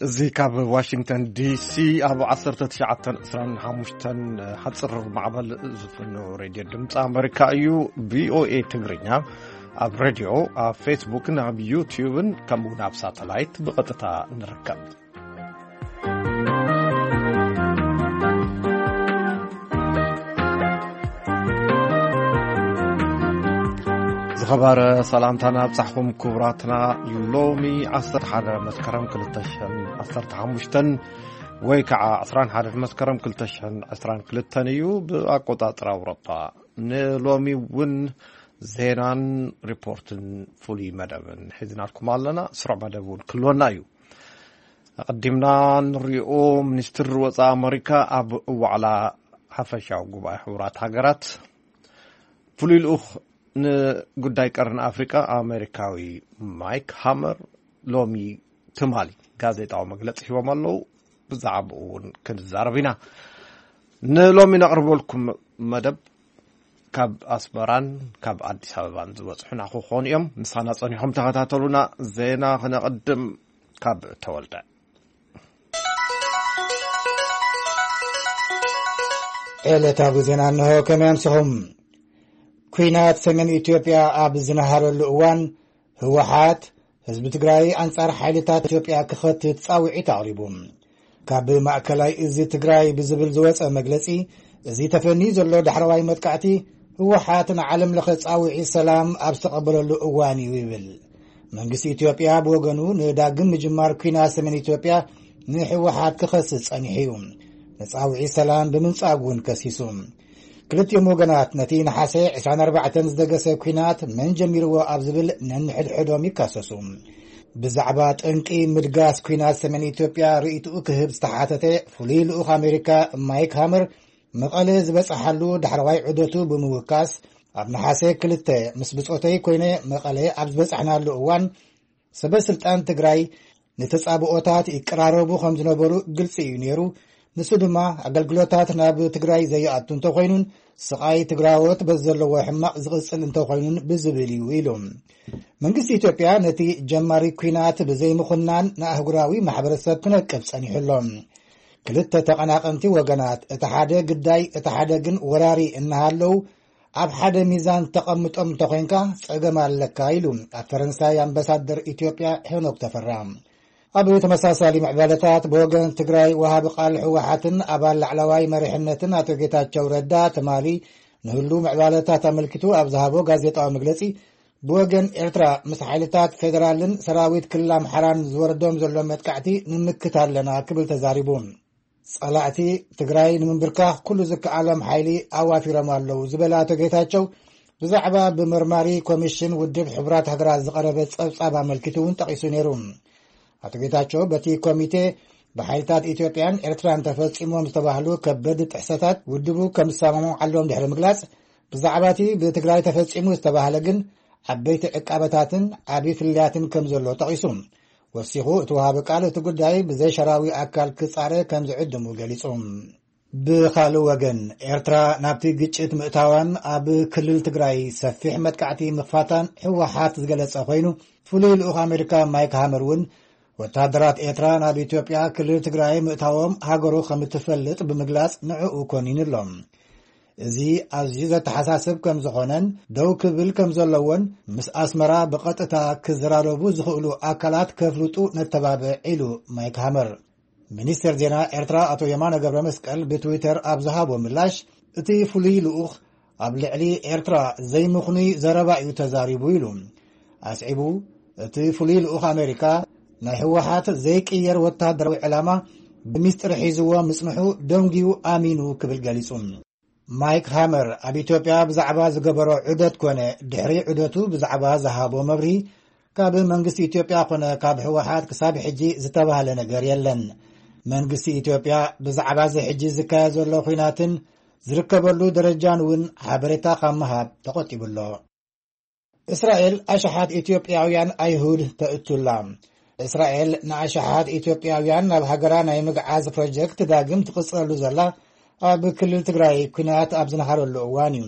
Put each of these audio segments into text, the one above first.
እዚ ካብ ዋሽንግተን ዲሲ ኣብ ዓሰርተ ትሽዓተ ዕስራን ሓሙሽተን ሓጽር ማዕበል ዝፍኖ ሬድዮ ድምፂ ኣመሪካ እዩ። ቪኦኤ ትግርኛ ኣብ ሬድዮ፣ ኣብ ፌስቡክን ኣብ ዩትዩብን ከምኡ እውን ኣብ ሳተላይት ብቐጥታ ንርከብ። ዝኸበረ ሰላምታና ኣብጻሕኹም ክቡራትና። ሎሚ ዓሰርተ ሓደ መስከረም ክልተ ሽሕን ዓሰርተ ሓሙሽተን ወይ ከዓ ዕስራን ሓደን መስከረም ክልተ ሽሕን ዕስራን ክልተን እዩ ብኣቆጻጽራ ኣውሮፓ። ንሎሚ እውን ዜናን ሪፖርትን ፍሉይ መደብን ሒዝናልኩም ኣለና። ስሩዕ መደብ እውን ክህልወና እዩ። ኣቐዲምና ንሪኦ፣ ሚኒስትር ወፃኢ ኣመሪካ ኣብ ዋዕላ ሓፈሻዊ ጉባኤ ሕቡራት ሃገራት ፍሉይ ልኡኽ ንጉዳይ ቀርኒ ኣፍሪቃ ኣሜሪካዊ ማይክ ሃመር ሎሚ ትማሊ ጋዜጣዊ መግለፂ ሂቦም ኣለዉ። ብዛዕባኡ እውን ክንዛረብ ኢና። ንሎሚ ነቕርበልኩም መደብ ካብ ኣስመራን ካብ ኣዲስ ኣበባን ዝበፅሑና ክኾኑ እዮም። ምሳና ፀኒሖም ተኸታተሉና። ዜና ክነቕድም ካብ ተወልደ። ዕለታዊ ዜና እንሆ። ከመይ ኣምስኹም? ኲናት ሰሜን ኢትዮጵያ ኣብ ዝነሃረሉ እዋን፣ ህወሓት ህዝቢ ትግራይ ኣንጻር ሓይልታት ኢትዮጵያ ክኸትት ጻውዒት ኣቕሪቡ። ካብ ማእከላይ እዚ ትግራይ ብዝብል ዝወጸ መግለጺ፣ እዚ ተፈንዩ ዘሎ ዳሕረዋይ መጥቃዕቲ ህወሓት ንዓለም ለኸ ጻውዒት ሰላም ኣብ ዝተቐበለሉ እዋን እዩ ይብል። መንግስቲ ኢትዮጵያ ብወገኑ ንዳግም ምጅማር ኲናት ሰሜን ኢትዮጵያ ንህወሓት ክኸስስ ጸኒሑ እዩ። ንጻውዒት ሰላም ብምንጻግ እውን ከሲሱ። ክልቲኦም ወገናት ነቲ ነሓሰ ዕስራን ኣርባዕተን ዝደገሰ ኲናት መን ጀሚርዎ ኣብ ዝብል ነንሕድሕዶም ይካሰሱ። ብዛዕባ ጠንቂ ምድጋስ ኲናት ሰሜን ኢትዮጵያ ርእይትኡ ክህብ ዝተሓተተ ፍሉይ ልኡኽ ኣሜሪካ ማይክ ሃመር፣ መቐለ ዝበጽሓሉ ዳሕረዋይ ዑደቱ ብምውካስ፣ ኣብ ነሓሰ ክልተ ምስ ብጾተይ ኮይነ መቐለ ኣብ ዝበጻሕናሉ እዋን፣ ሰበ ስልጣን ትግራይ ንተጻብኦታት ይቀራረቡ ከም ዝነበሩ ግልጺ እዩ ነይሩ። ንሱ ድማ ኣገልግሎታት ናብ ትግራይ ዘይኣቱ እንተኾይኑን ስቓይ ትግራዎት በዚ ዘለዎ ሕማቕ ዝቕጽል እንተኾይኑን ብዝብል እዩ ኢሉ። መንግስቲ ኢትዮጵያ ነቲ ጀማሪ ኲናት ብዘይምኹናን ንኣህጉራዊ ማሕበረሰብ ክነቅፍ ጸኒሑ ኣሎ። ክልተ ተቐናቐንቲ ወገናት፣ እቲ ሓደ ግዳይ እቲ ሓደ ግን ወራሪ እናሃለዉ፣ ኣብ ሓደ ሚዛን ተቐምጦም እንተኾይንካ ጸገም ኣለካ ኢሉ ኣብ ፈረንሳይ ኣምባሳደር ኢትዮጵያ ሄኖክ ተፈራ። ኣብ ተመሳሳሊ ምዕባለታት፣ ብወገን ትግራይ ወሃቢ ቃል ህወሓትን ኣባል ላዕለዋይ መሪሕነትን ኣቶ ጌታቸው ረዳ ትማሊ ንህሉ ምዕባለታት ኣመልኪቱ ኣብ ዝሃቦ ጋዜጣዊ መግለጺ፣ ብወገን ኤርትራ ምስ ሓይልታት ፌደራልን ሰራዊት ክልል ኣምሓራን ዝወርዶም ዘሎ መጥቃዕቲ ንምክት ኣለና ክብል ተዛሪቡ። ጸላእቲ ትግራይ ንምንብርካኽ ኩሉ ዝከኣሎም ሓይሊ ኣዋፊሮም ኣለዉ ዝበለ ኣቶ ጌታቸው፣ ብዛዕባ ብመርማሪ ኮሚሽን ውድብ ሕቡራት ሃገራት ዝቐረበ ጸብጻብ ኣመልኪቱ እውን ጠቒሱ ነይሩ። ኣቶ ጌታቸው በቲ ኮሚቴ ብሓይልታት ኢትዮጵያን ኤርትራን ተፈጺሞም ዝተባህሉ ከበድ ጥሕሰታት ውድቡ ከም ዝሰማምዓሎም ድሕሪ ምግላጽ፣ ብዛዕባ እቲ ብትግራይ ተፈጺሙ ዝተባህለ ግን ዓበይቲ ዕቃበታትን ዓቢ ፍልልያትን ከም ዘሎ ጠቒሱ። ወሲኹ፣ እቲ ወሃቢ ቃል እቲ ጉዳይ ብዘይ ሸራዊ ኣካል ክጻረ ከም ዝዕድሙ ገሊጹ። ብኻልእ ወገን፣ ኤርትራ ናብቲ ግጭት ምእታዋን ኣብ ክልል ትግራይ ሰፊሕ መጥቃዕቲ ምኽፋታን ህወሓት ዝገለጸ ኮይኑ፣ ፍሉይ ልኡኽ ኣሜሪካ ማይክ ሃመር እውን ወታደራት ኤርትራ ናብ ኢትዮጵያ ክልል ትግራይ ምእታዎም ሃገሩ ከም እትፈልጥ ብምግላጽ ንዕኡ ኮኒኑ ኣሎ። እዚ ኣዝዩ ዘተሓሳስብ ከም ዝኾነን ደው ክብል ከም ዘለዎን ምስ ኣስመራ ብቐጥታ ክዘራረቡ ዝኽእሉ ኣካላት ከፍልጡ ነተባብዕ ኢሉ ማይክ ሃመር። ሚኒስትር ዜና ኤርትራ ኣቶ የማነ ገብረ መስቀል ብትዊተር ኣብ ዝሃቦ ምላሽ፣ እቲ ፍሉይ ልኡኽ ኣብ ልዕሊ ኤርትራ ዘይምኽኑይ ዘረባ እዩ ተዛሪቡ ኢሉ። ኣስዒቡ፣ እቲ ፍሉይ ልኡኽ ኣሜሪካ ናይ ህወሓት ዘይቅየር ወታደራዊ ዕላማ ብሚስጥር ሒዝዎ ምጽንሑ ደንጉዩ ኣሚኑ ክብል ገሊጹ። ማይክ ሃመር ኣብ ኢትዮጵያ ብዛዕባ ዝገበሮ ዑደት ኮነ ድሕሪ ዑደቱ ብዛዕባ ዝሃቦ መብርሂ፣ ካብ መንግስቲ ኢትዮጵያ ኮነ ካብ ህወሓት ክሳብ ሕጂ ዝተባህለ ነገር የለን። መንግስቲ ኢትዮጵያ ብዛዕባ እዚ ሕጂ ዝካየድ ዘሎ ኲናትን ዝርከበሉ ደረጃን እውን ሓበሬታ ካብ ምሃብ ተቖጢቡ ኣሎ። እስራኤል ኣሽሓት ኢትዮጵያውያን ኣይሁድ ተእቱላ። እስራኤል ንኣሽሓት ኢትዮጵያውያን ናብ ሃገራ ናይ ምግዓዝ ፕሮጀክት ዳግም ትቕጽለሉ ዘላ ኣብ ክልል ትግራይ ኲናት ኣብ ዝነሃረሉ እዋን እዩ።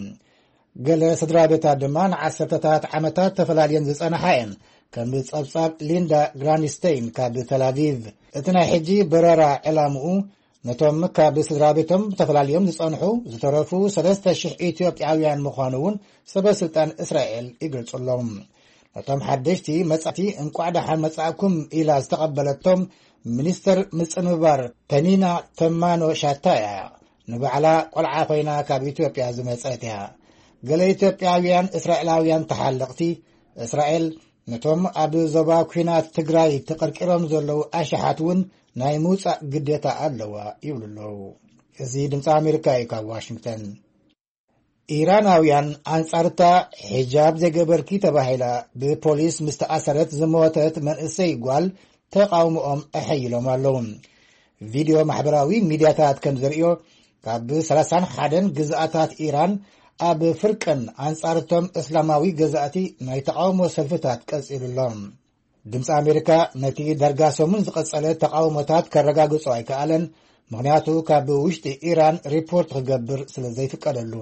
ገለ ስድራ ቤታት ድማ ንዓሰርተታት ዓመታት ተፈላልየን ዝጸንሓ እየን። ከም ጸብጻብ ሊንዳ ግራንድስተይን ካብ ተላቪቭ፣ እቲ ናይ ሕጂ በረራ ዕላምኡ ነቶም ካብ ስድራ ቤቶም ተፈላልዮም ዝጸንሑ ዝተረፉ ሰለስተ ሽሕ ኢትዮጵያውያን ምዃኑ እውን ሰበ ስልጣን እስራኤል ይገልጹ ኣለዉ። ነቶም ሓደሽቲ መጻእቲ እንቋዕ ደሓን መጻእኩም ኢላ ዝተቐበለቶም ሚኒስተር ምጽንባር ፐኒና ተማኖ ሻታ እያ። ንባዕላ ቆልዓ ኮይና ካብ ኢትዮጵያ ዝመጸት እያ። ገለ ኢትዮጵያውያን እስራኤላውያን ተሓለቕቲ እስራኤል ነቶም ኣብ ዞባ ኲናት ትግራይ ተቐርቂሮም ዘለዉ ኣሽሓት እውን ናይ ምውጻእ ግዴታ ኣለዋ ይብሉ ኣለዉ። እዚ ድምፂ ኣሜሪካ እዩ ካብ ዋሽንግተን። ኢራናውያን ኣንጻርታ ሒጃብ ዘይገበርኪ ተባሂላ ብፖሊስ ምስ ተኣሰረት ዝሞተት መንእሰይ ጓል ተቓውሞኦም ኣሐይሎም ኣለዉ። ቪድዮ ማሕበራዊ ሚድያታት ከም ዘርእዮ ካብ ሰላሳን ሓደን ግዝኣታት ኢራን ኣብ ፍርቅን ኣንጻርቶም እስላማዊ ገዛእቲ ናይ ተቓውሞ ሰልፍታት ቀጺሉ ኣሎ። ድምፂ ኣሜሪካ ነቲ ዳርጋ ሰሙን ዝቐጸለ ተቓውሞታት ከረጋግጾ ኣይከኣለን፣ ምኽንያቱ ካብ ውሽጢ ኢራን ሪፖርት ክገብር ስለ ዘይፍቀደሉ።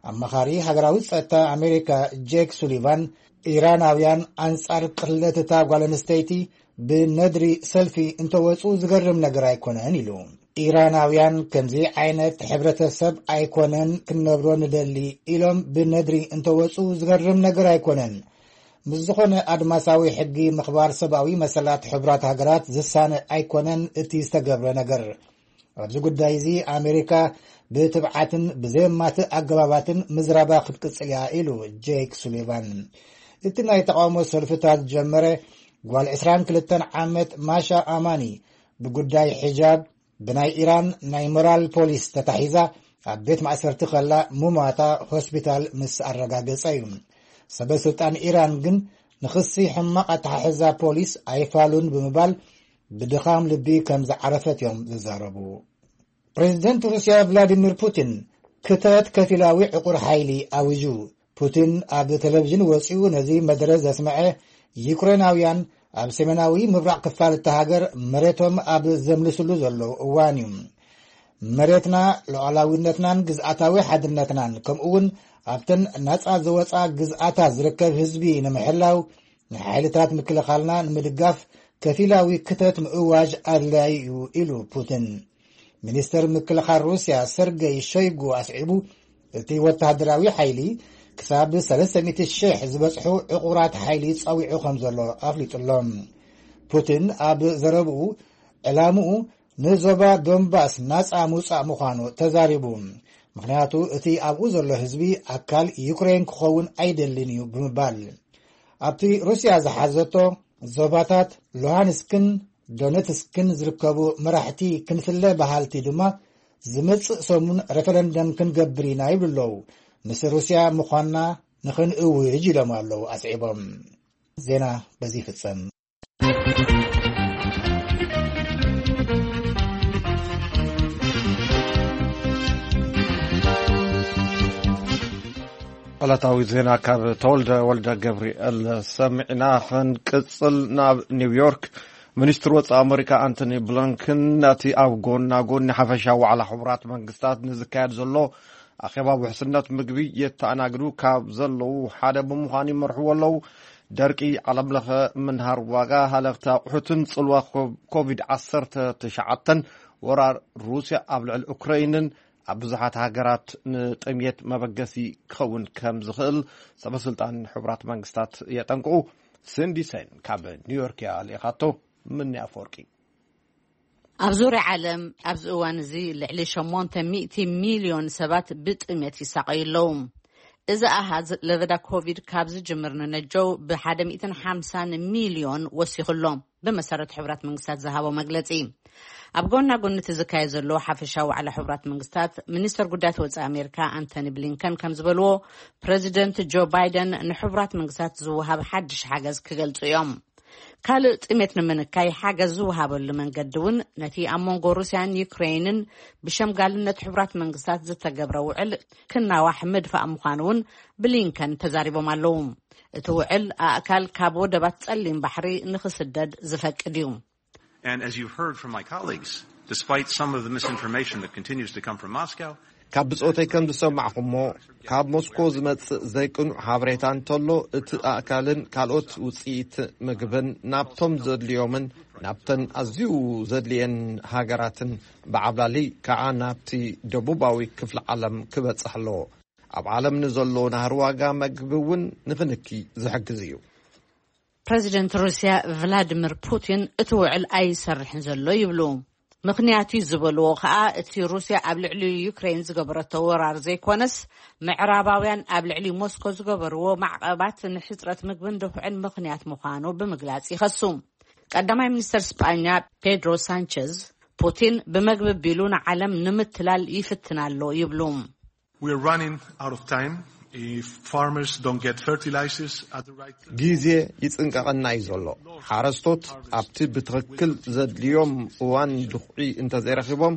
ኣማኻሪ ሃገራዊ ጸጥታ ኣሜሪካ ጄክ ሱሊቫን፣ ኢራናውያን ኣንጻር ቅትለት እታ ጓል ኣንስተይቲ ብነድሪ ሰልፊ እንተወጹ ዝገርም ነገር ኣይኮነን ኢሉ። ኢራናውያን ከምዚ ዓይነት ሕብረተሰብ ኣይኮነን ክንነብሮ ንደሊ ኢሎም ብነድሪ እንተወጹ ዝገርም ነገር ኣይኮነን። ምስ ዝኾነ ኣድማሳዊ ሕጊ ምኽባር ሰብኣዊ መሰላት ሕቡራት ሃገራት ዝሳነ ኣይኮነን እቲ ዝተገብረ ነገር። ኣብዚ ጉዳይ እዚ ኣሜሪካ ብትብዓትን ብዘየማትእ ኣገባባትን ምዝራባ ክትቅጽል እያ ኢሉ ጄክ ሱሊቫን። እቲ ናይ ተቓውሞ ሰልፍታት ዝጀመረ ጓል ዕስራን ክልተን ዓመት ማሻ ኣማኒ ብጉዳይ ሒጃብ ብናይ ኢራን ናይ ሞራል ፖሊስ ተታሒዛ ኣብ ቤት ማእሰርቲ ከላ ምሟታ ሆስፒታል ምስ ኣረጋገጸ እዩ። ሰበ ስልጣን ኢራን ግን ንኽሲ ሕማቕ ኣተሓሕዛ ፖሊስ ኣይፋሉን ብምባል ብድኻም ልቢ ከም ዝዓረፈት እዮም ዝዛረቡ። ፕሬዚደንት ሩስያ ቭላዲሚር ፑቲን ክተት ከፊላዊ ዕቑር ሓይሊ ኣዊጁ። ፑቲን ኣብ ቴሌቪዥን ወጺኡ ነዚ መደረ ዘስመዐ፣ ዩክሬናውያን ኣብ ሰሜናዊ ምብራቕ ክፋል እታ ሃገር መሬቶም ኣብ ዘምልስሉ ዘለዉ እዋን እዩ። መሬትና፣ ሉዓላዊነትናን ግዝኣታዊ ሓድነትናን፣ ከምኡውን ኣብተን ናጻ ዝወጻ ግዝኣታት ዝርከብ ህዝቢ ንምሕላው ንሓይልታት ምክልኻልና ንምድጋፍ ከፊላዊ ክተት ምእዋጅ ኣድላዪ እዩ ኢሉ ፑቲን። ሚኒስተር ምክልኻል ሩስያ ሰርገይ ሾይጉ ኣስዒቡ፣ እቲ ወተሃደራዊ ሓይሊ ክሳብ ሰለስተ ሚእቲ ሽሕ ዝበጽሑ ዕቑራት ሓይሊ ጸዊዑ ከም ዘሎ ኣፍሊጡ ኣሎ። ፑቲን ኣብ ዘረብኡ ዕላምኡ ንዞባ ዶንባስ ናጻ ምውጻእ ምዃኑ ተዛሪቡ። ምኽንያቱ እቲ ኣብኡ ዘሎ ህዝቢ ኣካል ዩክሬን ክኸውን ኣይደልን እዩ ብምባል። ኣብቲ ሩስያ ዝሓዘቶ ዞባታት ሉሃንስክን ዶነትስክን ዝርከቡ መራሕቲ ክንፍለ በሃልቲ ድማ ዝመጽእ ሰሙን ሬፈረንደም ክንገብር ኢና ይብሉ ኣለዉ። ምስ ሩስያ ምዃንና ንኽንእውጅ ኢሎም ኣለዉ ኣስዒቦም። ዜና በዚ ይፍጸም። ዕለታዊ ዜና ካብ ተወልደ ወልደ ገብርኤል ሰሚዕና። ክንቅጽል ናብ ኒውዮርክ። ሚኒስትር ወጻኢ ኣመሪካ ኣንቶኒ ብሊንከን ነቲ ኣብ ጎና ጎኒ ሓፈሻ ዋዕላ ሕቡራት መንግስታት ንዝካየድ ዘሎ ኣኼባ ውሕስነት ምግቢ የተኣናግዱ ካብ ዘለዉ ሓደ ብምዃን ይመርሕዎ ኣለዉ። ደርቂ፣ ዓለም ለኸ ምንሃር ዋጋ ሃለኽቲ ኣቑሑትን ጽልዋ ኮ-፣ ኮቪድ ዓሰርተ ትሽዓተን ወራር ሩስያ ኣብ ልዕሊ ኡክረይንን ኣብ ብዙሓት ሃገራት ንጥምየት መበገሲ ክኸውን ከም ዝኽእል ሰበስልጣን ሕቡራት መንግስታት የጠንቅቑ። ሲንዲ ሰይን ካብ ኒውዮርክ እያ ልኢኻቶ። ምኒ ኣፈወርቂ። ኣብ ዙርያ ዓለም ኣብዚ እዋን እዚ ልዕሊ ሸሞንተ ሚእቲ ሚልዮን ሰባት ብጥሜት ይሳቐዩ ኣለዉ። እዚ ኣሃዝ ለበዳ ኮቪድ ካብ ዝጅምር ንነጀው ብሓደ ሚእትን ሓምሳን ሚልዮን ወሲኹ ኣሎ፣ ብመሰረት ሕቡራት መንግስታት ዝሃቦ መግለጺ። ኣብ ጎና ጎኒ እቲ ዝካየድ ዘሎ ሓፈሻዊ ዋዕላ ሕቡራት መንግስታት፣ ሚኒስተር ጉዳያት ወጻኢ ኣሜሪካ ኣንቶኒ ብሊንከን ከም ዝበልዎ፣ ፕረዚደንት ጆ ባይደን ንሕቡራት መንግስታት ዝወሃብ ሓድሽ ሓገዝ ክገልጹ እዮም። ካልእ ጥሜት ንምንካይ ሓገዝ ዝወሃበሉ መንገዲ እውን ነቲ ኣብ መንጎ ሩስያን ዩክሬንን ብሸምጋልነት ሕቡራት መንግስታት ዝተገብረ ውዕል ክናዋሕ ምድፋእ ምዃኑ እውን ብሊንከን ተዛሪቦም ኣለዉ። እቲ ውዕል ኣእካል ካብ ወደባት ጸሊም ባሕሪ ንኽስደድ ዝፈቅድ እዩ። And as you've heard from my colleagues, despite some of the misinformation that continues to come from Moscow, ካብ ብጾተይ ከም ዝሰማዕኹሞ፣ ካብ ሞስኮ ዝመጽእ ዘይቅኑዕ ሓበሬታ እንተሎ፣ እቲ ኣእካልን ካልኦት ውጽኢት ምግብን ናብቶም ዘድልዮምን ናብተን ኣዝዩ ዘድልየን ሃገራትን፣ ብዓብላሊ ከዓ ናብቲ ደቡባዊ ክፍሊ ዓለም ክበጽሕ ኣለዎ። ኣብ ዓለም ንዘሎ ናህሪ ዋጋ መግቢ እውን ንኽንኪ ዝሕግዝ እዩ። ፕረዚደንት ሩስያ ቭላዲሚር ፑቲን እቲ ውዕል ኣይሰርሕን ዘሎ ይብሉ። ምኽንያት እዩ ዝበልዎ ከኣ፣ እቲ ሩስያ ኣብ ልዕሊ ዩክሬን ዝገበረቶ ወራር ዘይኮነስ፣ ምዕራባውያን ኣብ ልዕሊ ሞስኮ ዝገበርዎ ማዕቐባት ንሕጽረት ምግብን ድኹዕን ምኽንያት ምዃኑ ብምግላጽ ይኸሱ። ቀዳማይ ሚኒስተር ስጳኛ ፔድሮ ሳንቸዝ፣ ፑቲን ብመግቢ ቢሉ ንዓለም ንምትላል ይፍትን ኣሎ ይብሉ። We are running out of time. If farmers don't get fertilizers at the right time, ግዜ ይጽንቀቐና እዩ ዘሎ። ሓረስቶት ኣብቲ ብትኽክል ዘድልዮም እዋን ድኹዒ እንተዘይረኺቦም፣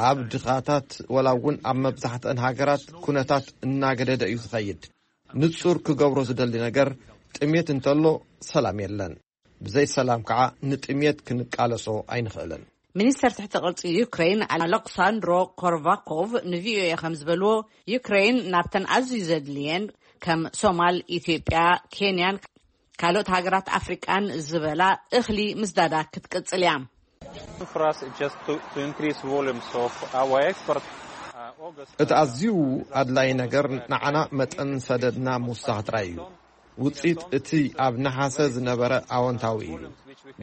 ኣብ ድኻታት ወላ እውን ኣብ መብዛሕትአን ሃገራት ኩነታት እናገደደ እዩ ዝኸይድ። ንጹር ክገብሮ ዝደሊ ነገር፣ ጥሜት እንተሎ ሰላም የለን። ብዘይ ሰላም ከዓ ንጥሜት ክንቃለሶ ኣይንኽእልን። ሚኒስተር ትሕቲ ቅርጺ ዩክሬን ኣሌክሳንድሮ ኮርቫኮቭ ንቪኦኤ ከም ዝበልዎ፣ ዩክሬን ናብተን ኣዝዩ ዘድልየን ከም ሶማል፣ ኢትዮጵያ፣ ኬንያን ካልኦት ሃገራት ኣፍሪቃን ዝበላ እኽሊ ምስዳዳ ክትቅጽል እያ። For us, it's just to, to increase volumes of our export. Uh, August. እቲ ኣዝዩ ኣድላዪ ነገር ንዓና መጠን ሰደድና ምውሳኽ ጥራይ እዩ። ውጽኢት እቲ ኣብ ነሓሰ ዝነበረ ኣወንታዊ እዩ።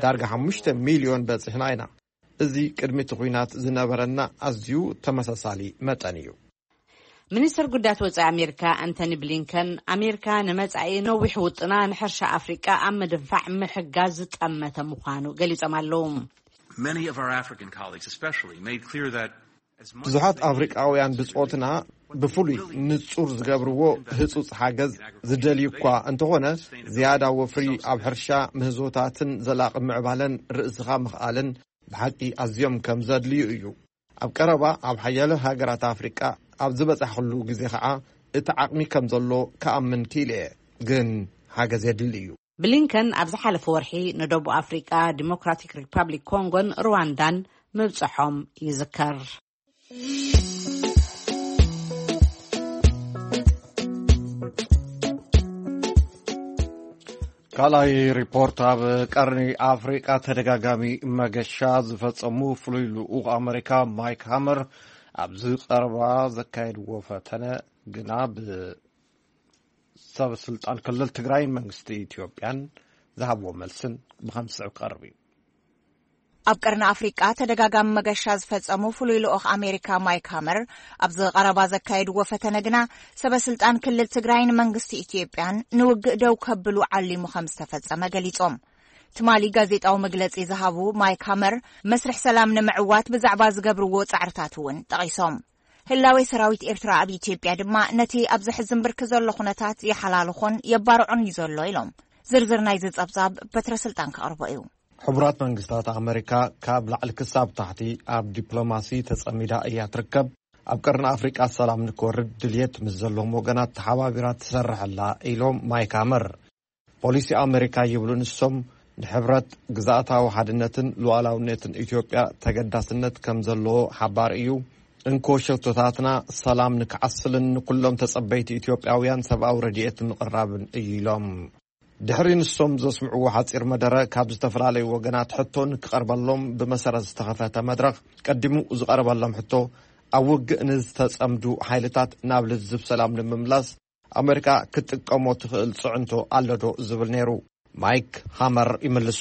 ዳርጋ ሓሙሽተ ሚልዮን በጺሕና ኢና። እዚ ቅድሚ እቲ ኲናት ዝነበረና ኣዝዩ ተመሳሳሊ መጠን እዩ። ሚኒስትር ጉዳያት ወጻኢ ኣሜሪካ ኣንቶኒ ብሊንከን፣ ኣሜሪካ ንመጻኢ ነዊሕ ውጥና ንሕርሻ ኣፍሪቃ ኣብ ምድንፋዕ ምሕጋዝ ዝጠመተ ምዃኑ ገሊጾም ኣለዉ። Many of our African colleagues, especially, made clear that ብዙሓት ኣፍሪቃውያን ብጾትና ብፍሉይ ንጹር ዝገብርዎ ህጹጽ ሓገዝ ዝደልዩ እኳ እንተኾነ፣ ዝያዳ ወፍሪ ኣብ ሕርሻ፣ ምህዞታትን ዘላቒ ምዕባለን ርእስኻ ምኽኣልን ብሓቂ ኣዝዮም ከም ዘድልዩ እዩ። ኣብ ቀረባ ኣብ ሓያለ ሃገራት ኣፍሪቃ ኣብ ዝበጻሕኩሉ ግዜ ኸዓ፣ እቲ ዓቕሚ ከም ዘሎ ክኣምን ክኢለ እየ። ግን ሓገዝ የድሊ እዩ። ብሊንከን ኣብ ዝሓለፈ ወርሒ ንደቡብ ኣፍሪቃ፣ ዲሞክራቲክ ሪፓብሊክ ኮንጎን ሩዋንዳን ምብጽሖም ይዝከር። ካልኣይ ሪፖርት፣ ኣብ ቀርኒ ኣፍሪቃ ተደጋጋሚ መገሻ ዝፈጸሙ ፍሉይ ልኡኽ ኣመሪካ ማይክ ሃመር ኣብዚ ቀረባ ዘካየድዎ ፈተነ ግና ብሰበ ስልጣን ክልል ትግራይን መንግስቲ ኢትዮጵያን ዝሃብዎ መልስን ብኸም ዝስዕብ ክቐርብ እዩ። ኣብ ቀርኒ ኣፍሪቃ ተደጋጋሚ መገሻ ዝፈጸሙ ፍሉይ ልኡኽ ኣሜሪካ ማይክ ሃመር ኣብዚ ቀረባ ዘካየድዎ ፈተነ ግና ሰበ ስልጣን ክልል ትግራይን መንግስቲ ኢትዮጵያን ንውግእ ደው ከብሉ ዓሊሙ ከም ዝተፈጸመ ገሊጾም። ትማሊ ጋዜጣዊ መግለጺ ዝሃቡ ማይክ ሃመር፣ መስርሕ ሰላም ንምዕዋት ብዛዕባ ዝገብርዎ ጻዕርታት እውን ጠቒሶም። ህላዌ ሰራዊት ኤርትራ ኣብ ኢትዮጵያ ድማ ነቲ ኣብ ዘሕዝን ብርኪ ዘሎ ኩነታት የሓላልኾን የባርዖን እዩ ዘሎ ኢሎም። ዝርዝር ናይዚ ጸብጻብ በትረ ስልጣን ከቕርቦ እዩ። ሕቡራት መንግስታት ኣመሪካ ካብ ላዕሊ ክሳብ ታሕቲ ኣብ ዲፕሎማሲ ተጸሚዳ እያ ትርከብ። ኣብ ቀርኒ ኣፍሪቃ ሰላም ንክወርድ ድልየት ምስ ዘለዎም ወገናት ተሓባቢራ ትሰርሕ ኣላ ኢሎም ማይክ ሃመር። ፖሊሲ ኣመሪካ ይብሉ ንሶም፣ ንሕብረት ግዝኣታዊ ሓድነትን ሉዓላውነትን ኢትዮጵያ ተገዳስነት ከም ዘለዎ ሓባር እዩ። እንኮ ሸቶታትና ሰላም ንክዓስልን ንኩሎም ተጸበይቲ ኢትዮጵያውያን ሰብኣዊ ረድኤት ምቕራብን እዩ ኢሎም። ድሕሪ ንሶም ዘስምዕዎ ሓጺር መደረ፣ ካብ ዝተፈላለዩ ወገናት ሕቶ ንክቐርበሎም ብመሰረት ዝተኸፈተ መድረኽ፣ ቀዲሙ ዝቐረበሎም ሕቶ፣ ኣብ ውግእ ንዝተጸምዱ ሓይልታት ናብ ልዝብ ሰላም ንምምላስ ኣመሪካ ክትጥቀሞ ትኽእል ጽዕንቶ ኣሎ ዶ ዝብል ነይሩ። ማይክ ሃመር ይምልሱ።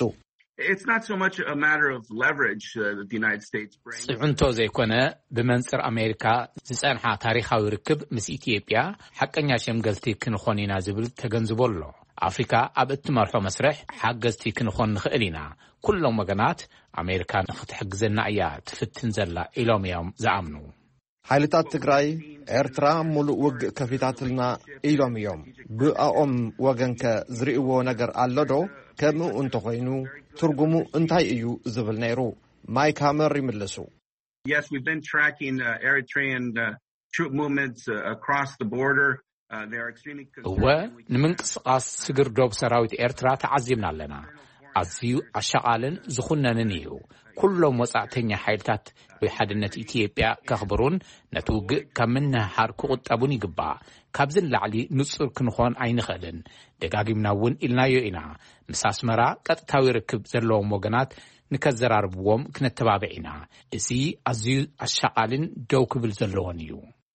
It's not so much a matter of leverage uh, that the United States brings. ጽዕንቶ ዘይኮነ፣ ብመንጽር ኣሜሪካ ዝጸንሓ ታሪኻዊ ርክብ ምስ ኢትዮጵያ ሓቀኛ ሸምገልቲ ክንኾን ኢና ዝብል ተገንዝቦ ኣሎ። ኣፍሪካ ኣብ እትመርሖ መስርሕ ሓገዝቲ ክንኾን ንኽእል ኢና። ኩሎም ወገናት ኣሜሪካ ንኽትሕግዘና እያ ትፍትን ዘላ ኢሎም እዮም ዝኣምኑ። ሓይልታት ትግራይ፣ ኤርትራ ሙሉእ ውግእ ከፊታትልና ኢሎም እዮም። ብኣኦም ወገንከ ዝርእይዎ ነገር ኣሎ ዶ? ከምኡ እንተኾይኑ ትርጉሙ እንታይ እዩ ዝብል ነይሩ። ማይክ ሃመር ይምልሱ። Yes, we've been tracking uh, Eritrean uh, troop movements uh, across the border. Uh, they are extremely እወ፣ ንምንቅስቓስ ስግር ዶብ ሰራዊት ኤርትራ ተዓዚብና ኣለና። ኣዝዩ ኣሻቓልን ዝኹነንን እዩ። ኩሎም ወጻዕተኛ ሓይልታት ወይ ሓድነት ኢትዮጵያ ከኽብሩን ነቲ ውግእ ካብ ምንህሓር ክቑጠቡን ይግባእ። ካብዚ ንላዕሊ ንጹር ክንኾን ኣይንኽእልን። ደጋጊምና እውን ኢልናዮ ኢና። ምስ ኣስመራ ቀጥታዊ ርክብ ዘለዎም ወገናት ንከዘራርብዎም ክነተባብዕ ኢና። እዚ ኣዝዩ ኣሻቓልን ደው ክብል ዘለዎን እዩ።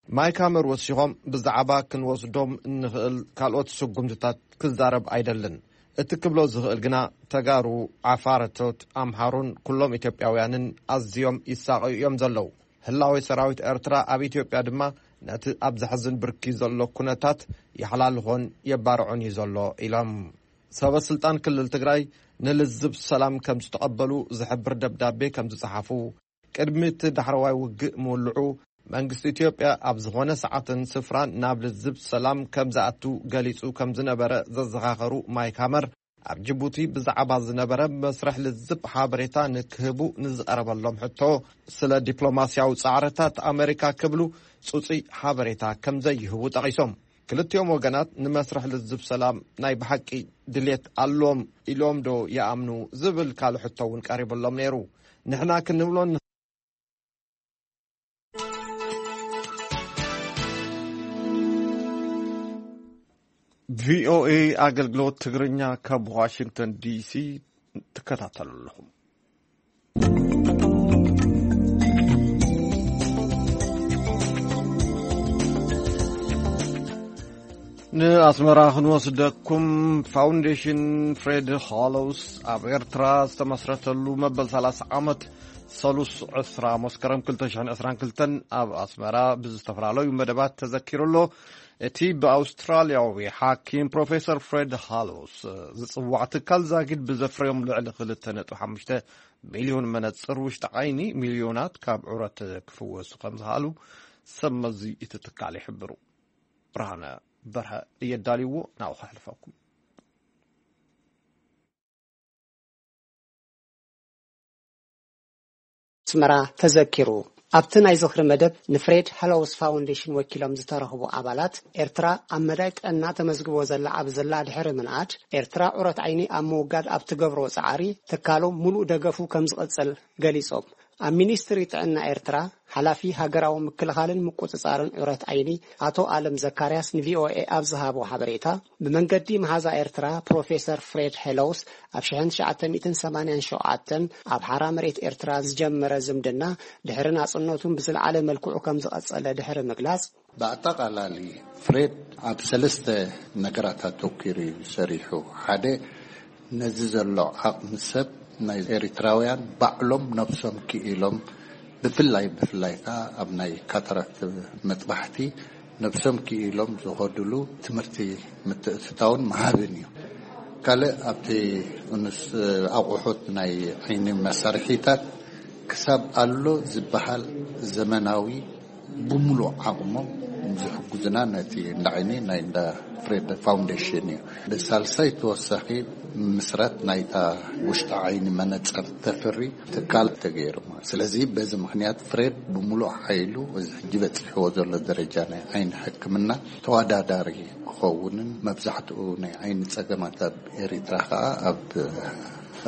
ማይክ ሃመር ወሲኾም፣ ብዛዕባ ክንወስዶም እንኽእል ካልኦት ስጉምትታት ክዛረብ ኣይደልን። እቲ ክብሎ ዝኽእል ግና፣ ተጋሩ፣ ዓፋረቶት፣ ኣምሓሩን ኩሎም ኢትዮጵያውያንን ኣዝዮም ይሳቐዩ እዮም ዘለዉ። ህላዌ ሰራዊት ኤርትራ ኣብ ኢትዮጵያ ድማ ነቲ ኣብ ዘሕዝን ብርኪ ዘሎ ኩነታት የሓላልኾን የባርዖን እዩ ዘሎ ኢሎም። ሰበ ስልጣን ክልል ትግራይ ንልዝብ ሰላም ከም ዝተቐበሉ ዝሕብር ደብዳቤ ከም ዝጸሓፉ፣ ቅድሚ እቲ ዳሕረዋይ ውግእ ምውልዑ፣ መንግስቲ ኢትዮጵያ ኣብ ዝኾነ ሰዓትን ስፍራን ናብ ልዝብ ሰላም ከም ዝኣቱ ገሊጹ ከም ዝነበረ ዘዘኻኸሩ ማይክ ሃመር፣ ኣብ ጅቡቲ ብዛዕባ ዝነበረ መስርሕ ልዝብ ሓበሬታ ንክህቡ ንዝቐረበሎም ሕቶ፣ ስለ ዲፕሎማስያዊ ጻዕርታት ኣመሪካ ክብሉ ጽጹይ ሓበሬታ ከም ዘይህቡ ጠቒሶም። ክልቲኦም ወገናት ንመስርሕ ልዝብ ሰላም ናይ ብሓቂ ድሌት ኣለዎም ኢሎም ዶ ይኣምኑ ዝብል ካልእ ሕቶ እውን ቀሪብሎም ነይሩ። ንሕና ክንብሎ ቪኦኤ ኣገልግሎት ትግርኛ ካብ ዋሽንግተን ዲሲ ትከታተሉ ኣለኹም። ንኣስመራ ክንወስደኩም። ፋውንዴሽን ፍሬድ ሃሎውስ ኣብ ኤርትራ ዝተመስረተሉ መበል ሰላሳ ዓመት ሰሉስ ዕስራ መስከረም ክልተ ሽሕን ዕስራን ክልተን ኣብ ኣስመራ ብዝተፈላለዩ መደባት ተዘኪሩ ኣሎ። እቲ ብኣውስትራልያዊ ሓኪም ፕሮፌሰር ፍሬድ ሃሎውስ ዝጽዋዕ ትካል ዛጊድ ብዘፍረዮም ልዕሊ ክልተ ነጥቢ ሓሙሽተ ሚልዮን መነጽር ውሽጢ ዓይኒ፣ ሚልዮናት ካብ ዑረት ክፍወሱ ከም ዝኽኣሉ ሰብ መዚ እቲ ትካል ይሕብሩ። ብርሃነ በርሀ እየ ኣዳልይዎ፣ ናብኡ ከሕልፈኩም። ኣስመራ ተዘኪሩ። ኣብቲ ናይ ዝኽሪ መደብ ንፍሬድ ሃሎውስ ፋውንዴሽን ወኪሎም ዝተረኽቡ ኣባላት፣ ኤርትራ ኣብ መዳይ ጥዕና ተመዝግቦ ዘላ ኣብ ዘላ ድሕሪ ምንኣድ፣ ኤርትራ ዑረት ዓይኒ ኣብ ምውጋድ ኣብ ትገብሮ ጻዕሪ ትካሎም ሙሉእ ደገፉ ከም ዝቕጽል ገሊጾም። ኣብ ሚኒስትሪ ጥዕና ኤርትራ ሓላፊ ሃገራዊ ምክልኻልን ምቁጽጻርን ዑረት ዓይኒ ኣቶ ኣለም ዘካርያስ ንቪኦኤ ኣብ ዝሃቦ ሓበሬታ፣ ብመንገዲ መሓዛ ኤርትራ ፕሮፌሰር ፍሬድ ሄሎውስ ኣብ ሽሕን ትሽዓተ ሚእትን ሰማንያን ሸውዓተን ኣብ ሓራ መሬት ኤርትራ ዝጀመረ ዝምድና፣ ድሕሪ ናጽነቱን ብዝለዓለ መልክዑ ከም ዝቐጸለ ድሕሪ ምግላጽ፣ ብኣጠቓላሊ ፍሬድ ኣብ ሰለስተ ነገራት ኣተኲሩ እዩ ሰሪሑ። ሓደ፣ ነዚ ዘሎ ዓቕሚ ሰብ ናይ ኤሪትራውያን ባዕሎም ነብሶም ክኢሎም፣ ብፍላይ፣ ብፍላይ ከኣ ኣብ ናይ ካታራክት መጥባሕቲ ነብሶም ክኢሎም ዝኸድሉ ትምህርቲ ምትእትታውን ምሃብን እዩ። ካልእ፣ ኣብቲ ንስ-፣ ኣቑሑት ናይ ዓይኒ መሳርሒታት ክሳብ ኣሎ ዝበሃል ዘመናዊ ብምሉእ ዓቕሞም ዝሕግዙና ነቲ እንዳ ዓይኒ ናይ እንዳ ፍሬድ ፋውንዴሽን እዩ። ብሳልሳይ ተወሳኺ ምስራት ናይታ ውሽጢ ዓይኒ መነጸር ተፍሪ ትካል ተገይሩ። ስለዚ በዚ ምኽንያት ፍሬድ ብምሉእ ሓይሉ እዚ ሕጂ በጺሕዎ ዘሎ ደረጃ ናይ ዓይኒ ሕክምና ተወዳዳሪ ክኸውንን መብዛሕትኡ ናይ ዓይኒ ጸገማት ኣብ ኤሪትራ ከኣ ኣብ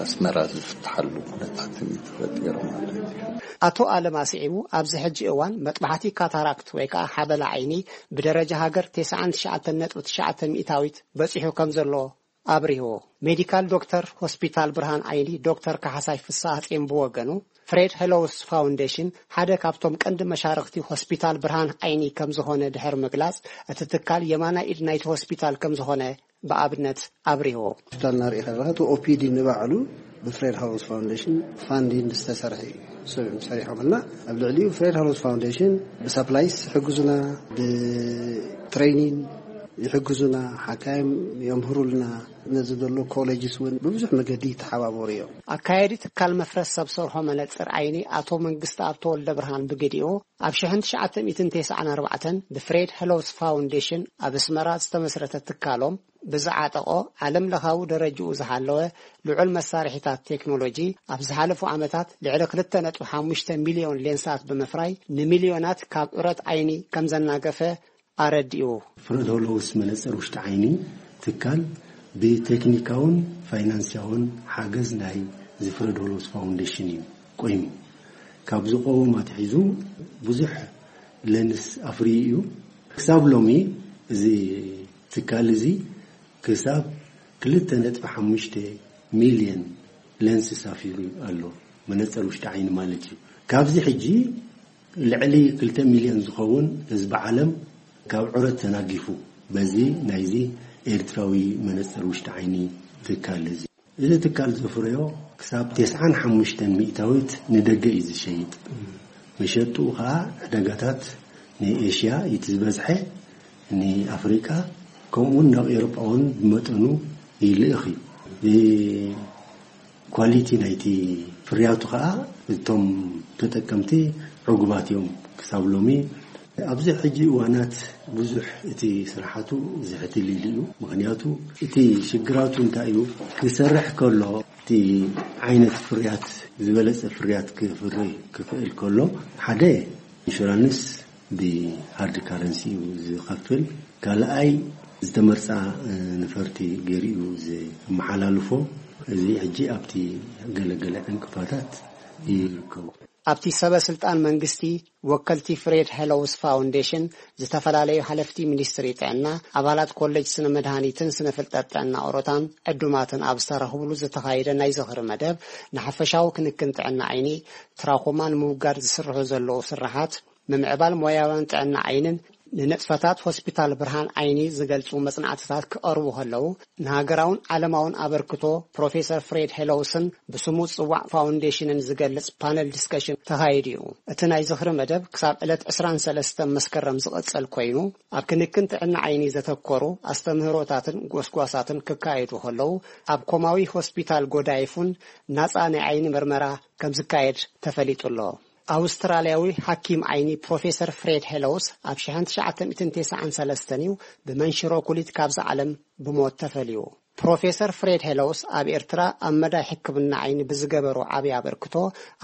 ኣስመራ ዝፍትሓሉ ኩነታት እዩ ተፈጢሩ ማለት እዩ። ኣቶ ኣለም ኣስዒቡ፣ ኣብዚ ሕጂ እዋን መጥባሕቲ ካታራክት ወይ ከኣ ሓበላ ዓይኒ ብደረጃ ሃገር ተስዓን ትሽዓተን ነጥቢ ትሽዓተ ሚእታዊት በጺሑ ከም ዘሎ ኣብሪሁ። ሜዲካል ዶክተር ሆስፒታል ብርሃን ዓይኒ ዶክተር ካሕሳይ ፍስሃ ጼም ብወገኑ፣ ፍሬድ ሄሎውስ ፋውንዴሽን ሓደ ካብቶም ቀንዲ መሻርኽቲ ሆስፒታል ብርሃን ዓይኒ ከም ዝኾነ ድሕሪ ምግላጽ፣ እቲ ትካል የማናይ ኢድ ናይቲ ሆስፒታል ከም ዝኾነ ብኣብነት ኣብሪሁ። ሆስፒታል እናርኢ ከለኻ፣ እቲ ኦፒዲ ንባዕሉ ብፍሬድ ሃውስ ፋውንዴሽን ፋንዲንግ ዝተሰርሐ እዩ። ሰሪሖምልና፣ ኣብ ልዕሊኡ ፍሬድ ሃውስ ፋውንዴሽን ብሳፕላይስ ይሕግዙና፣ ብትሬኒንግ ይሕግዙና፣ ሓካይም የምህሩልና፣ ነዚ ዘሎ ኮሌጅስ እውን ብብዙሕ መገዲ ይተሓባበሩ እዮም። ኣካያዲ ትካል መፍረስ ሰብ ሰርሖ መነጽር ዓይኒ ኣቶ መንግስቲ ኣብ ተወልደ ብርሃን ብግዲኡ፣ ኣብ ሽሕን ትሽዓተ ሚእትን ተስዓን ኣርባዕተን ብፍሬድ ሄሎውስ ፋውንዴሽን ኣብ ኣስመራ ዝተመስረተ ትካሎም፣ ብዝዓጠቖ ዓለም ለኻዊ ደረጅኡ ዝሓለወ ልዑል መሳርሒታት ቴክኖሎጂ፣ ኣብ ዝሓለፉ ዓመታት ልዕሊ ክልተ ነጥቢ ሓሙሽተ ሚልዮን ሌንሳት ብምፍራይ፣ ንሚልዮናት ካብ ዑረት ዓይኒ ከም ዘናገፈ ኣረዲኡ። ፍሬድ ሄሎውስ መነጽር ውሽጢ ዓይኒ ትካል ብቴክኒካውን ፋይናንስያውን ሓገዝ ናይ እዚ ፍሬድ ሆሎውስ ፋውንዴሽን እዩ ቆይሙ። ካብ ዝቆውም ኣትሒዙ ብዙሕ ለንስ ኣፍርዩ እዩ። ክሳብ ሎሚ እዚ ትካል እዚ ክሳብ ክልተ ነጥቢ ሓሙሽተ ሚልዮን ለንስ ኣፍርዩ ኣሎ፣ መነፅር ውሽጢ ዓይኒ ማለት እዩ። ካብዚ ሕጂ ልዕሊ ክልተ ሚልዮን ዝኸውን ህዝቢ ዓለም ካብ ዑረት ተናጊፉ በዚ ናይዚ ኤርትራዊ መነፅር ውሽጢ ዓይኒ ትካል እዚ። እዚ ትካል ዘፍረዮ ክሳብ ተስዓን ሓሙሽተን ሚእታዊት ንደገ እዩ ዝሸይጥ። መሸጥኡ ከዓ ዕዳጋታት ንኤሽያ እዩ ዝበዝሐ፣ ንኣፍሪቃ ከምኡውን ናብ ኤውሮጳ እውን ብመጠኑ ይልእኽ እዩ። ኳሊቲ ናይቲ ፍርያቱ ከዓ እቶም ተጠቀምቲ ዕጉባት እዮም። ክሳብ ሎሚ ኣብዚ ሕጂ እዋናት ብዙሕ እቲ ስራሓቱ ዝሕትል ኢሉ እዩ። ምክንያቱ እቲ ሽግራቱ እንታይ እዩ? ክሰርሕ ከሎ እቲ ዓይነት ፍርያት ዝበለጸ ፍርያት ክፍሪ ክኽእል ከሎ ሓደ ኢንሹራንስ ብሃርድ ካረንሲ እዩ ዝኸፍል። ካልኣይ ዝተመርጻ ነፈርቲ ገይሩ እዩ ዘመሓላልፎ። እዚ ሕጂ ኣብቲ ገለገለ ዕንቅፋታት ይርከቡ። ኣብቲ ሰበ ስልጣን መንግስቲ፣ ወከልቲ ፍሬድ ሄሎውስ ፋውንዴሽን፣ ዝተፈላለዩ ሓለፍቲ ሚኒስትሪ ጥዕና፣ ኣባላት ኮሌጅ ስነ መድሃኒትን ስነ ፍልጠት ጥዕና ኦሮታን ዕዱማትን ኣብ ዝተረኽብሉ ዝተኻየደ ናይ ዝኽሪ መደብ፣ ንሓፈሻዊ ክንክን ጥዕና ዓይኒ ትራኮማ ንምውጋድ ዝስርሑ ዘለዉ ስራሓት፣ ምምዕባል ሞያውያን ጥዕና ዓይንን ንንጥፈታት ሆስፒታል ብርሃን ዓይኒ ዝገልጹ መጽናዕትታት ክቐርቡ ከለዉ፣ ንሃገራውን ዓለማውን ኣበርክቶ ፕሮፌሰር ፍሬድ ሄሎውስን ብስሙ ዝጽዋዕ ፋውንዴሽንን ዝገልጽ ፓነል ዲስከሽን ተኻይዱ እዩ። እቲ ናይ ዝኽሪ መደብ ክሳብ ዕለት ዕስራን ሰለስተን መስከረም ዝቕጽል ኮይኑ፣ ኣብ ክንክን ጥዕና ዓይኒ ዘተኮሩ ኣስተምህሮታትን ጎስጓሳትን ክካየዱ ከለዉ፣ ኣብ ኮማዊ ሆስፒታል ጎዳይፉን ናጻ ናይ ዓይኒ ምርመራ ከም ዝካየድ ተፈሊጡ ኣሎ። ኣውስትራልያዊ ሓኪም ዓይኒ ፕሮፌሰር ፍሬድ ሄሎውስ ኣብ ሽሕን ትሽዓተ ሚእትን ተስዓን ሰለስተን እዩ ብመንሽሮ ኩሊት ካብዚ ዓለም ብሞት ተፈልዩ። ፕሮፌሰር ፍሬድ ሄሎውስ ኣብ ኤርትራ ኣብ መዳይ ሕክምና ዓይኒ ብዝገበሮ ዓብዪ ኣበርክቶ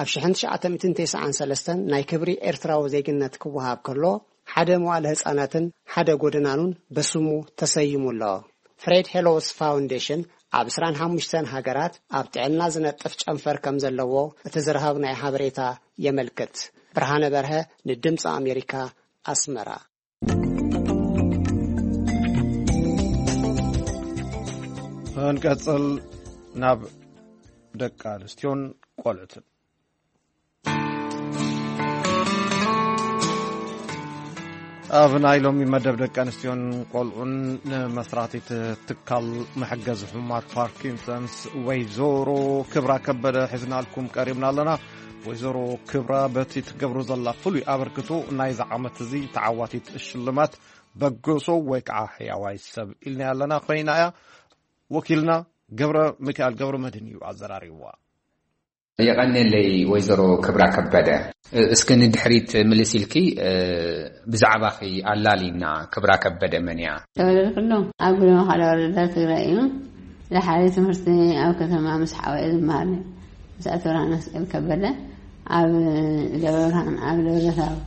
ኣብ ሽሕን ትሽዓተ ሚእትን ተስዓን ሰለስተን ናይ ክብሪ ኤርትራዊ ዜግነት ክወሃብ ከሎ ሓደ መዋለ ህጻናትን ሓደ ጎደናኑን በስሙ ተሰይሙ ኣሎ። ፍሬድ ሄሎውስ ፋውንዴሽን ኣብ ዕስራን ሓሙሽተን ሃገራት ኣብ ጥዕና ዝነጥፍ ጨንፈር ከም ዘለዎ እቲ ዝረኸብናዮ ሓበሬታ የመልክት። ብርሃነ በርሀ ንድምፂ ኣሜሪካ ኣስመራ። እንቀጽል ናብ ደቂ ኣንስትዮን ቆልዑትን። ኣብ ናይ ሎሚ መደብ ደቂ ኣንስትዮን ቆልዑን ንመስራቲት ትካል መሐገዚ ሕሙማት ፓርኪንሰንስ ወይዘሮ ክብራ ከበደ ሒዝናልኩም ቀሪብና ኣለና። ወይዘሮ ክብራ በቲ ትገብሮ ዘላ ፍሉይ ኣበርክቶ ናይዚ ዓመት እዚ ተዓዋቲት ሽልማት በገሶ ወይ ከዓ ሕያዋይ ሰብ ኢልና ኣለና ኮይና እያ። ወኪልና ገብረ ሚካኤል ገብረ መድህን እዩ ኣዘራሪብዋ። የቐንየለይ ወይዘሮ ክብራ ከበደ። እስኪ ንድሕሪት ምልስ ኢልኪ ብዛዕባኺ ኣላሊና። ክብራ ከበደ መን እያ? ተወለድኩሉ ኣብ ጉለመኻላ ወረዳ ትግራይ እዩ። ዝሓለይ ትምህርቲ ኣብ ከተማ ምስ ሓወየ ዝመሃር ነይረ። ምስ ኣቶ ብርሃነ መስቀል ከበደ ኣብ ደብረ ብርሃን፣ ኣብ ደብረ ታቦር፣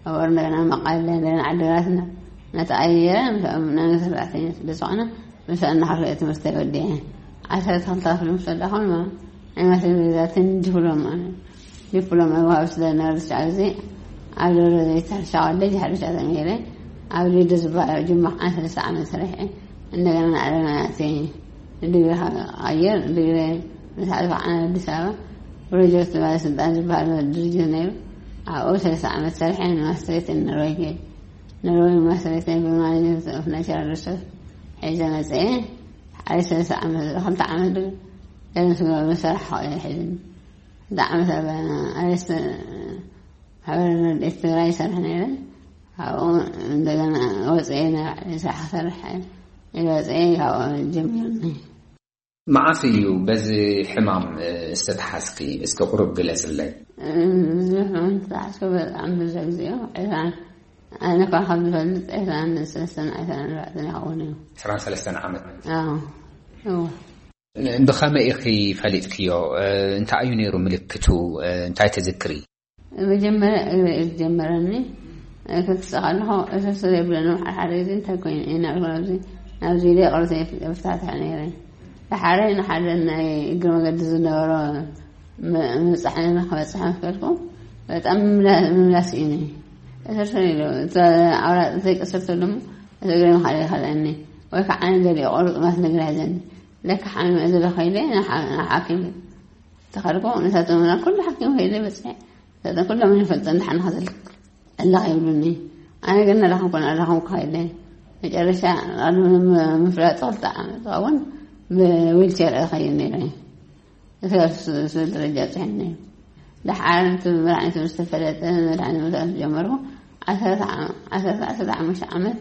ኣብ እንደገና መቐለ፣ እንደገና ዓዲግራት እና-፣ እናተቐየረ ምስኦም ናይ ሰራሕተኛ ስለ ዝኾነ ምስኡ እናኸፍአ ትምህርተይ ወዲአ። ዓሰርተ ክልተ ክፍሊ ምስ ወዳእኹ ድማ ናይ ማትሪክ ሪዛልተይ ዲፕሎማ፣ ዲፕሎማ ወሃቢ ስለ ዝነበረ ዝሻዕ ግዜ ኣብ ደብረ ዘይት ሕርሻ ኮሌጅ ሕርሻ ተምሂረ። ኣብ ሊዶ ዝበሃል ጅማ ከዓ ሰለስተ ዓመት ሰሪሐ። እንደገና ንዓለምና ኣትየ ንዲግሪ ክቐይር፣ ዲግሪ ምስ ዓለኹ ዓነ ኣዲስ ኣበባ ፕሮጀክት ባለስልጣን ዝበሃል ድርጅት ነይሩ። ኣብኡ ሰለስተ ዓመት ሰሪሐ ንማስትሬት ንኖርወይ ከይደ። ኖርወይ ማስትሬተይ ብማኔጅመንት ኦፍ ናቹራል ሪሶርስ ሒዘ መፅአ። ሓደ ሰለስተ ዓመት፣ ክልተ ዓመት ዶ ገለ ምስ ገበሩ መሰራሕ ከቕዮ ሒዝኒ። ክልተ ዓመት ኣብ ኣሬስት ማሕበር ረድኤት ትግራይ ይሰርሕ ነይረ። ካብኡ እንደገና ወፅአ፣ ናይ ባዕለይ ስራሕ ክሰርሕ ኢለ ወፅአ። ካብኡ ጀሚሩኒ። መዓስ እዩ በዚ ሕማም ዝተተሓዝኪ? እስኪ ቁሩብ ግለፅለይ። እዚ ሕማም ዝተተሓዝኩ በጣም ብዙሕ ግዜ እዩ። ዕስራን፣ ኣነ እኳ ካብ ዝፈልጥ ዕስራን ሰለስተን፣ ዕስራን ኣርባዕተን ይኸውን እዩ። ዕስራን ሰለስተን ዓመት? ኣዎ፣ እወ። ብኸመይ ኢኺ ፈሊጥክዮ? እንታይ እዩ ነይሩ ምልክቱ? እንታይ ትዝክሪ? መጀመርያ እግረ እዩ ዝጀመረኒ። ክክሰ ከለኹ እስር ስር የብለኒ። ሓደ ሓደ ግዜ እንታይ ኮይኑ እዩ እናበልኩ ናብዚ ኣብዚ ኢለ ይቕርታ ይፍታትሕ ነይረ። ደሓረ ንሓደ ናይ እግሪ መገዲ ዝነበሮ ም- ምብጻሕ ነና ክበጽሕ ምስ ከድኩ በጣም ምምላ- ምምላስ እዩ። ተሰርሰር ኢሉ እቲ ኣውራጥ ዘይቀሰርተሉ እሞ እቲ እግሪ ምኻድ ይኸልአኒ ወይ ከዓ ገሊኡ ቁርጥማት ነገር ሒዘኒ ለካ ሓሚመ ዘለኹ ኢለ ንሓ- ንሓኪም ተኸድኩ። ንሳቶም ኩሉ ሓኪም ከይደ በፅሐ። ንሳቶም ኩሎም ይፈልጡ እንዳሓና ከዘልክ እላኽ ይብሉኒ። ኣነ ግን ኣላኸም ኮነ ኣላኸም ክኸይደ መጨረሻ ቃሉ ምፍላጥ ክልተ ዓመት እውን ብዊልቸር እኸይድ ነይረ። እስካብ ስ- ስ- ደረጃ ጽሕኒ ደሓር እቲ መድሓኒት ምስ ተፈለጠ መድሓኒት ምውሳድ ዝጀመርኩ ዓሰርተ ዓመት ዓሰርተ ዓሰርተ ሓሙሽተ ዓመት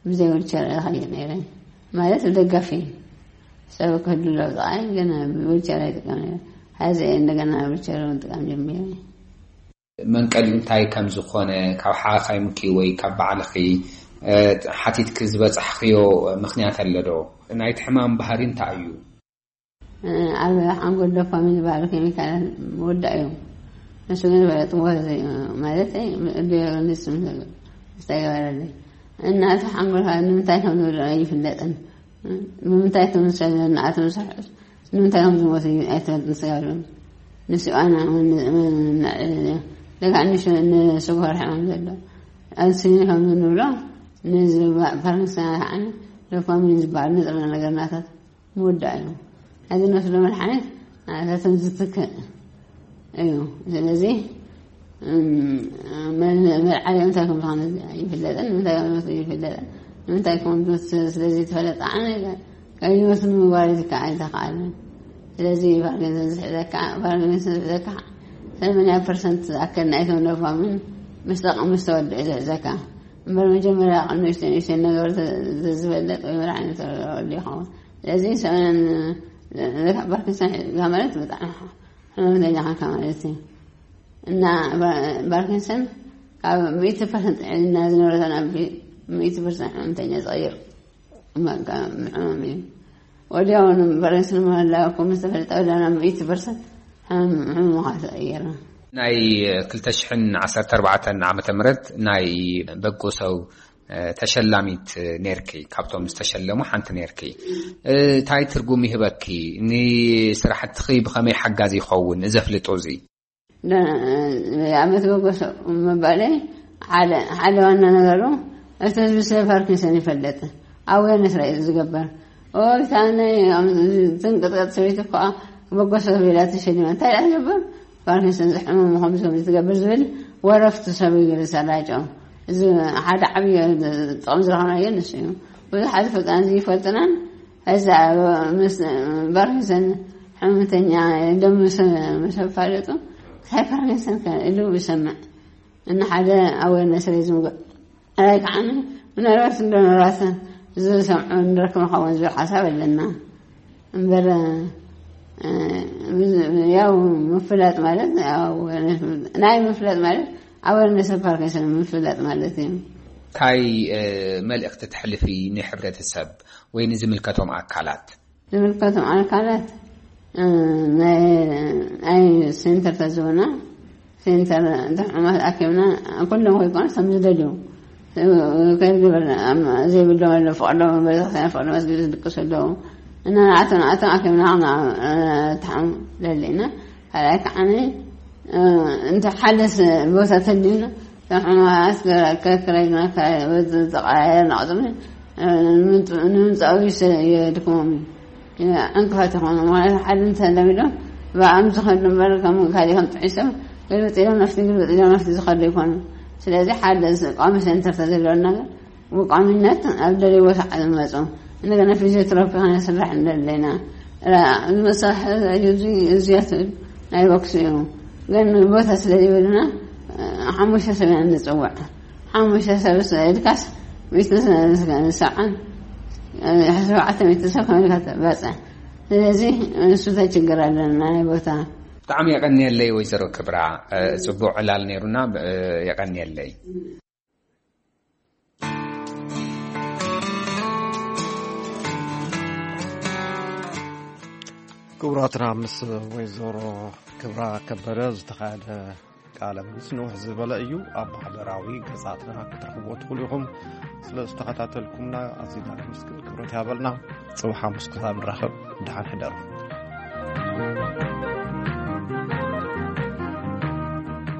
ብዘይ ዊልቸር እኸይድ ነይረ። ማለት ደጋፊ ሰብ ክህሉ ለውጣይ ግን ዊልቸር ኣይጥቀም ነይረ። ሐዚ እንደገና ዊልቸር ምጥቃም ጀሚረ። መንቀሊኡ እንታይ ከም ዝኾነ ካብ ሓኻይምኪ ወይ ካብ ባዕልኺ ሓቲትኪ ዝበጻሕኽዮ ምኽንያት ኣሎ ዶ? ናይቲ ሕማም ባህሪ እንታይ እዩ? ኣብ ሓንጎል ዶፓሚን ዝበሃሉ ኬሚካላት ምውዳእ እዩ። ንሱ ግን ፈለጥዎ ማለት ዲዮግኒስ ዝተገበረለይ እና እቲ ሓንጎልካ ንምንታይ ከም ዝውድቕ ኣይፍለጥን። ንምንታይ ከም ዝሰ- ንኣቶም ዝስሕት ንምንታይ ከም ዝሞት ኣይትፈልጥን ስጋብሎም ንስኣና ለካ ንስጉር ሕማም ዘሎ ኣንስኒ ከም ንብሎ ንፓርኪንሰን ከዓ ዶፓሚን ዝበሃል ንጥረ ነገር ናታት ምውዳእ እዩ። እዚ ንወስዶ መድሓኒት ናታትን ዝትክእ እዩ። ስለዚ መልዓሊኦም እንታይ ከም ዝኾነ ይፍለጥን ንምንታይ ከም ዝወስዱ ይፍለጥን ንምንታይ ከም ዝወስዱ ስለዘይተፈለጠ ዓነ ከይወስዱ ምግባር ይዝከዓ ኣይተኸኣልን። ስለዚ ፓርኪንሰን ዝሕዘካ ፓርኪንሰን ዝሕዘካ ሰማንያ ፐርሰንት ዝኣከል ናይቶም ዶፓሚን ምስ ጠቐሙ ዝተወድኡ ዝሕዘካ እምበር መጀመርያ ንእሽተይ ንእሽተይ ነገር ዝበለጥ ወይ መድሓኒት ተወዲ ይኸውን። ስለዚ ሰብን ፓርኪንሰን ሒዝካ ማለት ብጣዕሚ ሕመምተኛ ኸንካ ማለት እዩ። እና ፓርኪንሰን ካብ ሚእቲ ፐርሰንት ጥዕና ዝነበረቶ ናብ ሚእቲ ፐርሰንት ሕመምተኛ ዝቐይር ሕማም እዩ። ወዲያውኑ ፓርኪንሰን ምህላውኩም ዝተፈለጠ ወዲያውኑ ናብ ሚእቲ ፐርሰንት ሕሙኻ ተቐየረ። ናይ ክልተ ሽሕን ዓሰርተ ኣርባዕተን ዓመተ ምህረት ናይ በጎ ሰው ተሸላሚት ኔርኪ ካብቶም ዝተሸለሙ ሓንቲ ኔርኪ እንታይ ትርጉም ይህበኪ ንስራሕትኺ ብኸመይ ሓጋዚ ይኸውን እዚ ኣፍልጦ እዚ ኣመት በጎ ሰው ምባለይ ሓደ ዋና ነገሩ እቲ ህዝቢ ስለ ፓርኪንሰን ይፈልጥ ኣዌርነስ ራይ ዝገበር ኦይታነ ዝንቅጥቀጥ ሰበይቲ ከዓ በጎ ሰብ ኢላ ተሸሊማ እንታይ ኢላ ትገብር ፓርኪንሰን ዝሕመሙ ከምዚ ከምዚ ትገብር ዝብል ወረፍቲ ሰብ ይግልሰላቸው እዚ ሓደ ዓብዪ ጥቕሚ ዝረኸናዮ ንሱ እዩ ብዙሓት ፈጣን ዝይፈልጥናን እዛ ፓርኪንሰን ሕመምተኛ ኢሎም ምስ ኣፋለጡ እንታይ ፓርኪንሰን ኢሉ ይሰምዕ እና ሓደ ኣዌርነስ ሬዝ ምግባር ኣይ ከዓ ምናልባት እንዶ ምናልባት ዝሰምዑ ንረክብ ንኸውን ዝብል ሓሳብ ኣለና እምበር ያው ምፍላጥ ማለት ናይ ምፍላጥ ማለት ኣዌርነስ ፓርኪንሰን ምፍላጥ ማለት እዩ። እንታይ መልእኽቲ ተሕልፊ ንሕብረተሰብ ወይ ንዝምልከቶም ኣካላት? ዝምልከቶም ኣካላት ናይ ሴንተር ተዝበና ሴንተር ሕሙማት ኣኪብና ኩሎም ከይኮኑ ከም ዝደልዩ ከይግበር ዘይብሎም ኣሎ ፍቅዶ ቤተክርስትያን ፍቅዶ መስጊድ ዝድቅሱ ኣለዉ እና ንኣቶም ንኣቶም ኣኪብና ተሓም ደሊና ካልኣይ ከዓ እንተ ሓደስ ቦታ ተድዩና ሕሙማት ከክረግና ዝቀያየር ናቕፅም ንምምፃኡ የድክሞም እዩ ዕንቅፋት ይኾኑ ማለት ሓደ እንተለሚዶም ብኣም ዝኸዱ እምበር ከም ካልኦም ጥዒሶም ግልብጥ ኢሎም ናፍቲ ግልብጥ ኢሎም ናፍቲ ዝኸዱ ይኮኑ ስለዚ ሓደ ቋሚ ሴንተር ተዘለወና ግን ብቋሚነት ኣብ ደለይ ቦታ ዝመፁ እንደገና ፊዚዮቴራፒ ከነስራሕ እንደለና ዝመሳርሒ እዚያት ናይ ቦክስ እዩ ግን ቦታ ስለ ይብልና ሓሙሽተ ሰብ ኢና ንፅውዕ ሓሙሽተ ሰብ ስለ ኢልካስ ሚእቲ ሰብዓን ሸውዓተ ሚእቲ ሰብ ከመልካ ትበፅሕ ስለዚ ንሱ ተችግር ኣለና ናይ ቦታ ብጣዕሚ የቀንየለይ ወይዘሮ ክብራ ፅቡቅ ዕላል ነይሩና የቀንየለይ ክቡራትና ምስ ወይዘሮ ክብራ ከበደ ዝተኻየደ ቃለ ምልልስ ንውሕ ዝበለ እዩ። ኣብ ማሕበራዊ ገጻትና ክትረኽብዎ ትኽእሉ ኢኹም። ስለ ዝተኸታተልኩምና ኣዚና ነመስግን። ክብረት ያበልና። ጽባሕ ሓሙስ ክሳብ ንራኸብ፣ ደሓን ሕደሩ።